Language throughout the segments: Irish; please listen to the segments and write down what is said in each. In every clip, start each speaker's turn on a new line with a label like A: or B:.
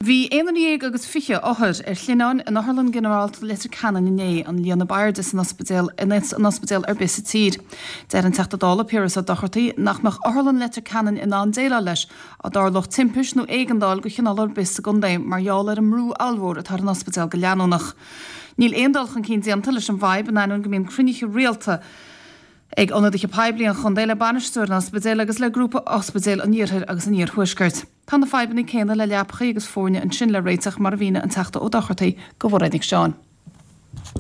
A: Bhí aon duine dhéag agus 20 othar ar shlinneáin in Otharlann Ghinearálta Leitir Ceanainn inné, an líon ab airde san ospidéal in ospidéal ar bith sa tír. Deir an Teachta Dála Piaras Ó Dochartaigh nach mbeadh Otharlann Leitir Ceanainn in ann déileáil leis dá dtarlódh timpist nó éigeandáil de chineál ar bith sa gcontae mar gheall ar an mbrú ollmhór atá ar an ospidéal go leanúnach. Níl aon dul chun cinn déanta leis an bhfadhb in ainneoin go mbíonn cruinnithe rialta ag ionadaithe poiblí an chontae le bainisteoir an ospidéil agus le Grúpa Ospidéil an Iarthair agus an Iarthuaiscirt. Tá na fadhbanna céanna le leapachaí agus foirne ansin le réiteach mar a mhínigh an Teachta Ó Dochartaigh do Mhairéad Nic Seáin.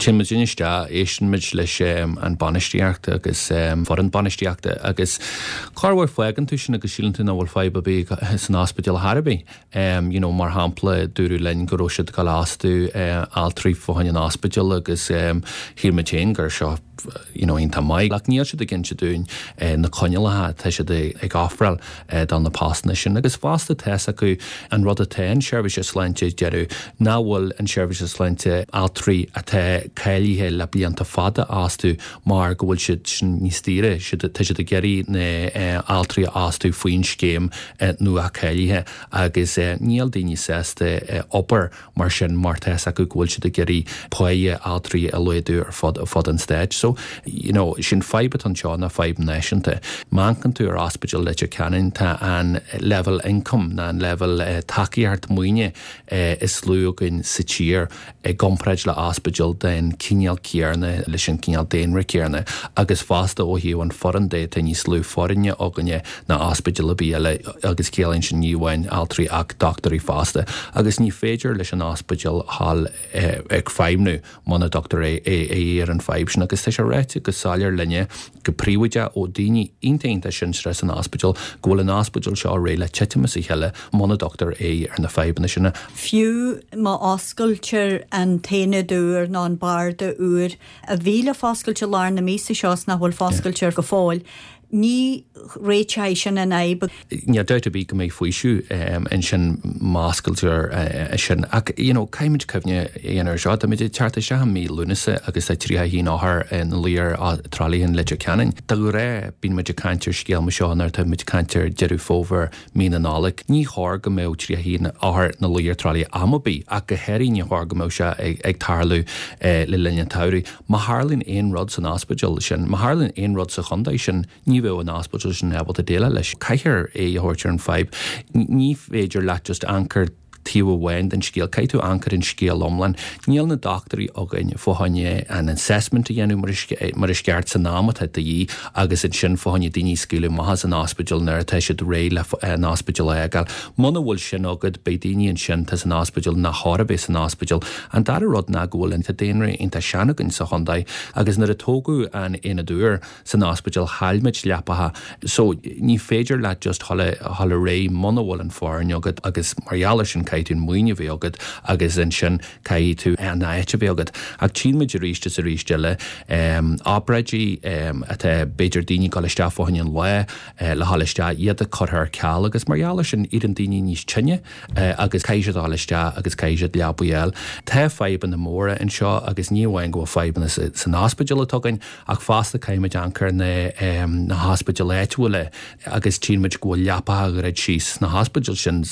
B: Téann muid isteach, éisteann muid leis an bainistíocht agus foireann bainistíochta agus corruair fágann tú sin agus síleann tú nach bhfuil fadhb ar bith san ospidéal ar chor ar bith. You know, mar shampla, dúradh linn go raibh siad ag dul a fhostú altraí fá choinne an ospidéil agus shíl muid féin gur seo you know, iontach maith. Ach níl siad ag inse dúinn na coinníollacha atá siad ag ofráil do na postanna sin. Agus fosta tá's acu an rud atá an seirbhíse sláinte ag déanamh, nach bhfuil an seirbhíse sláinte altraí atá cáilithe le blianta fada a fhostú mar go bhfuil siad sin níos daoire, tá siad ag iarraidh na altraí a fhostú faoin scéim nua cáilithe agus níl daoine sásta obair mar sin mar tá's acu go bhfuil siad ag iarraidh páighe altraí a laghdú ar fud fud an stáit. So, you know, sin fadhb atá anseo ná fadhb náisiúnta. Má amharcann tú ar Ospidéal Leitir Ceanainn tá an leibhéal income ná an leibhéal tacaíocht maoine is lú againn sa tír i gcomparáid le ospidéal den cineál céanna leis an cineál daonra céanna agus fosta ó thaobh an foireann de tá níos lú foirne againne ná ospidéal ar bith eile agus ciallaíonn sin ní amháin altraí ach dochtúirí fosta agus ní féidir leis an ospidéal dhul ag feidhmniú muna dtugtar aghaidh ar an fadhb sin agus tá sé ráite go soiléir linne go príobháideach ó daoine iontach iontach sinsearach san ospidéal go bhfuil an ospidéal seo réidh le titim as a chéile muna dtugtar aghaidh ar na fadhbanna sin.
C: Fiú má oscailtear an t-aonad úr nó an barda úr a bhí le foscailt i lár na míosa seo is nach bhfuil foscailte go fóill, ní réiteoidh sin an fhadhb.
B: Níl dabht ar bith go mbeidh faoiseamh ansin má oscailtear é sin. Ach you know caithfimid cuimhne a dhéanamh ar seo, táimid ag teacht isteach i mí Lúnasa agus tá 31 othar ina luí ar tralaithe in Leitir Ceanainn. De ghnáth bíonn muid ag caint ar scéal mar seo nuair atá muid ag caint ar Deireadh Fómhair, mí na Nollag. Ní chóir go mbeadh 31 othar ina luí ar tralaithe am ar bith ach go háirithe ní chóir go mbeadh sé ag tarlú le linn an tsamhraidh. Má tharlaíonn aon rud san ospidéal sin, má tharlaíonn aon rud sa chontae sin, ní bheadh an ospidéal sin ábalta déileáil leis. Caithfear aghaidh a thabhairt ar an fadhb. Ní féidir leat just amharc ar taobh amháin den scéal. Caithfidh tú amharc ar an scéal iomlán. Níl na dochtúirí againn fá choinne an assessment a dhéanamh mar is ceart san am atá de dhíth agus ansin fá choinne daoine a scaoileadh amach as an ospidéal nuair atá siad réidh le an ospidéal a fhágáil. Muna bhfuil sin agat, beidh daoine ansin atá san ospidéal nach chóir a bheith san ospidéal. An dara rud ná go bhfuil an daonra iontach sean againn sa chontae agus nuair a tógadh an aonad úr, san ospidéal chaill muid leapacha so ní féidir leat just dhul ar aghaidh muna bhfuil an foireann agat agus mar gheall ar sin caithfidh tú an maoiniú a bheith agat agus ansin caithfidh tú an áit a bheith agat. Ach tchíonn muid arís is arís eile obráidí atá b'fhéidir daoine ag dul isteach fá choinne an lá le dhul isteach iad curtha ar ceal agus mar gheall ar sin éiríonn daoine níos tinne agus caithfidh siad a dhul isteach agus caithfidh siad leabaí a fháil. Tá fadhbanna móra anseo agus ní amháin go bhfuil fadhbanna san ospidéal atá againn Ach fosta caithfimid amharc ar na hospidéil áitiúla agus tchíonn muid go bhfuil leapacha druidte síos sna hospidéil sin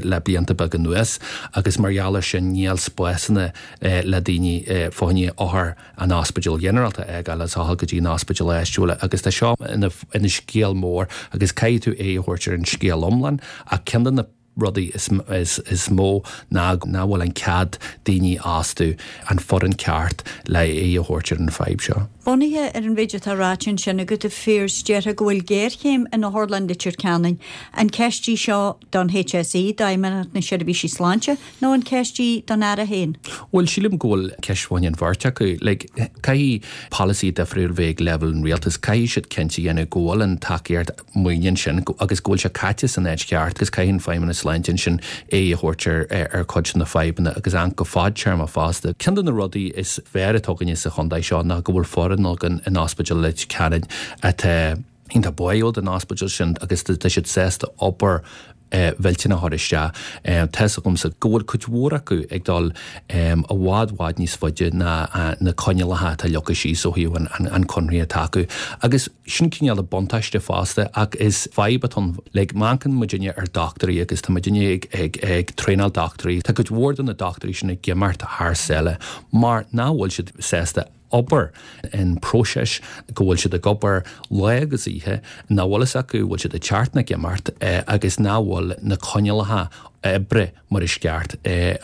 B: le blianta beaga anuas agus mar gheall ar sin níl spásanna le daoine fá choinne othair an ospidéil ghinearálta a fhágáil agus a dhul go dtí an ospidéal áitiúla agus tá seo ina scéal mór agus caithfidh tú aghaidh a thabhairt ar an scéal iomlán ach ceann de na rudaí is mó ná nach bhfuil an cead daoine a fhostú, an foireann ceart le aghaidh a thabhairt ar an fadhb seo.
C: Bunaithe ar an mhéid atá ráite ansin agat, a Phiarais, déarfá go bhfuil géarchéim in Otharlann Leitir Ceanainn. An ceist í seo don HSE, d'Fheidhmeannacht na Seirbhísí Sláinte, nó an ceist í don Aire féin?
B: Bhuel, sílim go bhfuil ceist fá choinne an bheirt acu. Like, caithfidh polasaí difriúil bheith ag leibhéal an rialtais, caithfidh siad cinnte a dhéanamh go bhfuil an tacaíocht maoine ansin agus go bhfuil sé caite san áit cheart agus caithfidh an Feidhmeannas Sláinte ansin aghaidh a thabhairt ar chuid de na fadhbanna agus amharc go fadtéarmach fosta. Ceann de na rudaí is fearr atá againne sa chontae seo ná go bhfuil foireann againn in Ospidéal Leitir Ceanainn atá iontach báúil don ospidéal sin agus tá siad sásta obair. mhillteanach a chur isteach. Tá's agamsa go bhfuil cuid mhór acu ag dul i bhfad bhfad níos faide ná na coinníollacha atá leagtha síos ó thaobh an conradh atá acu. Agus sin cineál de buntáiste fosta ach is fadhb atá ann. Like, amharcann muidinne ar dochtúirí agus tá muidinne ag, ag, ag traenáil dochtúirí. Tá cuid mhór de na dochtúirí sin ag imeacht thar sáile mar nach bhfuil siad sásta obair in próiseas go bhfuil siad ag obair lá agus oíche, nach bhfuil fhios acu bhfuil siad ag teacht nó ag imeacht agus nach bhfuil na coinníollacha oibre mar is ceart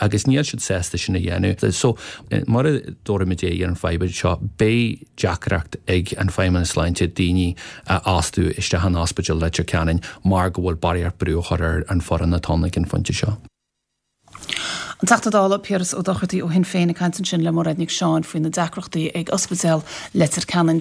B: agus níl siad sásta sin a dhéanamh. So, mura dtabharfaimid aghaidh ar an fadhb seo, beidh deacracht ag an Feidhmeannas Sláinte daoine a fhostú isteach in Ospidéal Leitir Ceanainn mar go bhfuil barraíocht brú á chur ar an foireann atá ann ag an phointe seo.
A: An Teachta Dála Piaras Ó Dochartaigh ó Shinn Féin ag caint ansin le Mairéad Nic Seáin faoi na deacrachtaí ag Ospidéal Leitir Ceanainn.